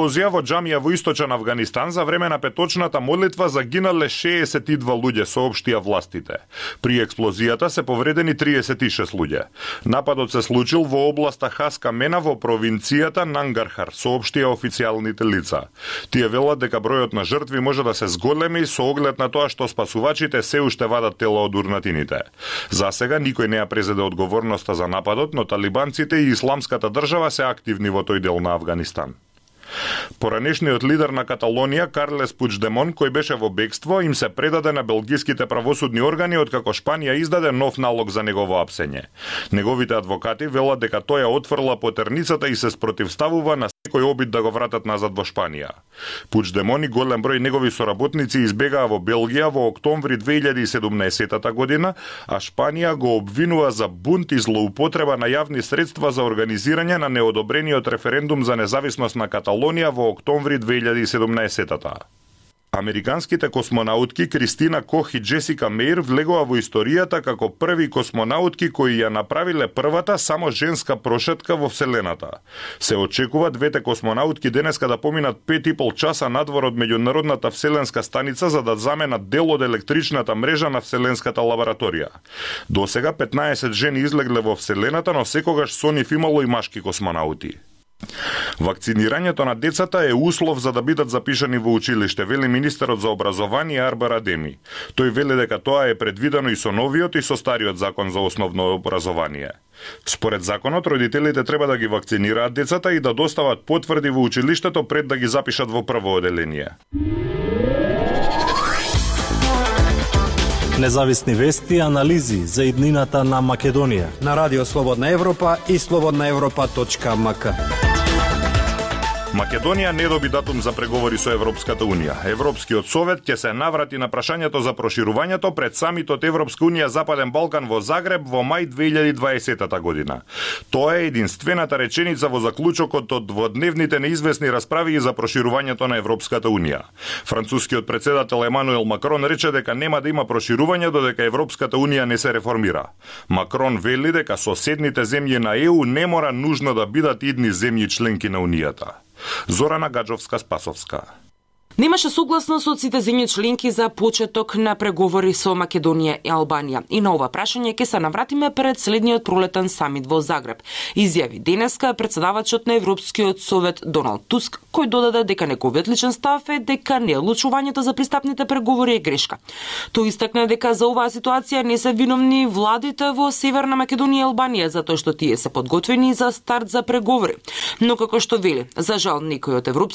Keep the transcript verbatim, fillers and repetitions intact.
експлозија во џамија во источен Авганистан за време на петочната молитва загинале шеесет и два луѓе, соопштија властите. При експлозијата се повредени триесет и шест луѓе. Нападот се случил во областа Хаска Мена во провинцијата Нангархар, соопштија официјалните лица. Тие велат дека бројот на жртви може да се зголеми со оглед на тоа што спасувачите се уште вадат тела од урнатините. За сега никој не ја презеде одговорноста за нападот, но талибанците и Исламската држава се активни во тој дел на Авганистан. Поранешниот лидер на Каталонија, Карлес Пучдемон, кој беше во бегство, им се предаде на белгиските правосудни органи откако Шпанија издаде нов налог за негово апсење. Неговите адвокати велат дека тој ја отфрла потерницата и се спротивставува на секој обид да го вратат назад во Шпанија. Пучдемон и голем број негови соработници избегаа во Белгија во октомври две илјади и седумнаесетта година, а Шпанија го обвинува за бунт и злоупотреба на јавни средства за организирање на неодобрениот референдум за независност на Каталонија во октомври две илјади и седумнаесетта. Американските космонаутки Кристина Кох и Джесика Меир влегоа во историјата како први космонаутки кои ја направиле првата само женска прошетка во Вселената. Се очекува двете космонаутки денеска да поминат пет и пол часа надвор од меѓународната вселенска станица за да заменат дел од електричната мрежа на Вселенската лабораторија. Досега петнаесет жени излегле во Вселената, но секогаш со нив имало и машки космонаути. Вакцинирањето на децата е услов за да бидат запишани во училиште, вели министерот за образование Арбар Адеми. Тој вели дека тоа е предвидено и со новиот и со стариот закон за основно образование. Според законот, родителите треба да ги вакцинираат децата и да достават потврди во училиштето пред да ги запишат во прво оделение. Независни вести и анализи за иднината на Македонија на Радио Слободна Европа и слободна европа точка ем ка. Македонија не доби датум за преговори со Европската Унија. Европскиот совет ќе се наврати на прашањето за проширувањето пред самитот Европска Унија Западен Балкан во Загреб во мај две илјади и дваесетта година. Тоа е единствената реченица во заклучокот од дводневните неизвестни расправи за проширувањето на Европската Унија. Францускиот председател Емануел Макрон рече дека нема да има проширување додека Европската Унија не се реформира. Макрон вели дека соседните земји на Е У не мора нужно да бидат идни земји членки на Унијата. Зорана Гаджовска-Спасовска. Немаше согласност од сите земји членки за почеток на преговори со Македонија и Албанија. И на ова прашање ќе се навратиме пред следниот пролетен самит во Загреб, изјави денеска председавачот на Европскиот совет Доналд Туск, кој додаде дека неговиот личен став е дека неодлучувањето за пристапните преговори е грешка. Тој истакна дека за оваа ситуација не се виновни владите во Северна Македонија и Албанија, затоа што тие се подготвени за старт за преговори. Но како што вели, за жал некои од европски